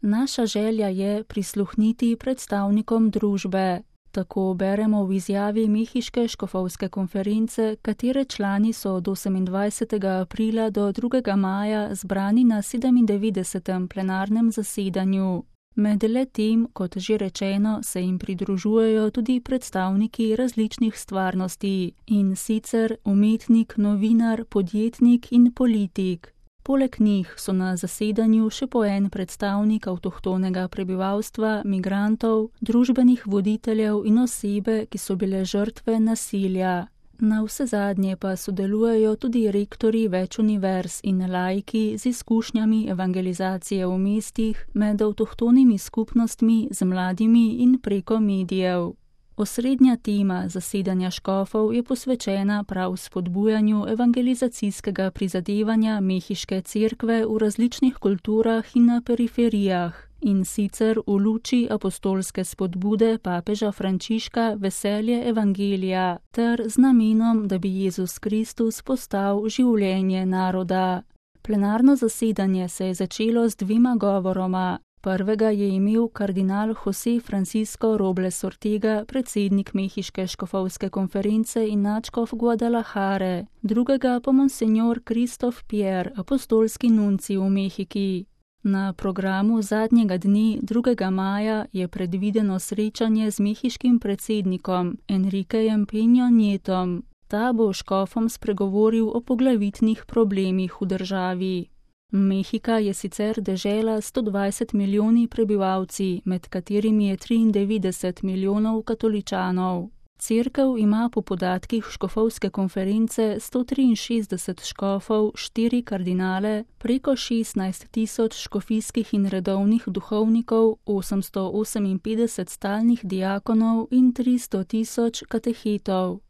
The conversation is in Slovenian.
Naša želja je prisluhniti predstavnikom družbe. Tako beremo v izjavi Mehiške škofovske konference, katere člani so od 28. aprila do 2. maja zbrani na 97. plenarnem zasedanju. Med letem, kot že rečeno, se jim pridružujejo tudi predstavniki različnih stvarnosti, in sicer umetnik, novinar, podjetnik in politik. Poleg njih so na zasedanju še po en predstavnik avtohtonega prebivalstva, migrantov, družbenih voditeljev in osebe, ki so bile žrtve nasilja. Navsezadnje pa sodelujejo tudi rektorji več univerz in laiki z izkušnjami evangelizacije v mestih, med avtohtonimi skupnostmi, z mladimi in preko medijev. Osrednja tema zasedanja škofov je posvečena prav spodbujanju evangelizacijskega prizadevanja Mehiške cerkve v različnih kulturah in na periferijah, in sicer v luči apostolske spodbude papeža Frančiška Veselje evangelija ter z namenom, da bi Jezus Kristus postal življenje naroda. Plenarno zasedanje se je začelo z 2 govoroma. Prvega je imel kardinal José Francisco Robles Ortega, predsednik Mehiške škofovske konference in nadškof Guadalajare, drugega pa monsenjor Kristof Pierre, apostolski nuncij v Mehiki. Na programu zadnjega dne 2. maja je predvideno srečanje z mehiškim predsednikom Enriquejem Peño Nietom. Ta bo škofom spregovoril o poglavitnih problemih v državi. Mehika je sicer dežela 120 milijoni prebivalci, med katerimi je 93 milijonov katoličanov. Cerkev ima po podatkih škofovske konference 163 škofov, 4 kardinale, preko 16 tisoč škofijskih in redovnih duhovnikov, 858 stalnih diakonov in 300 tisoč katehetov.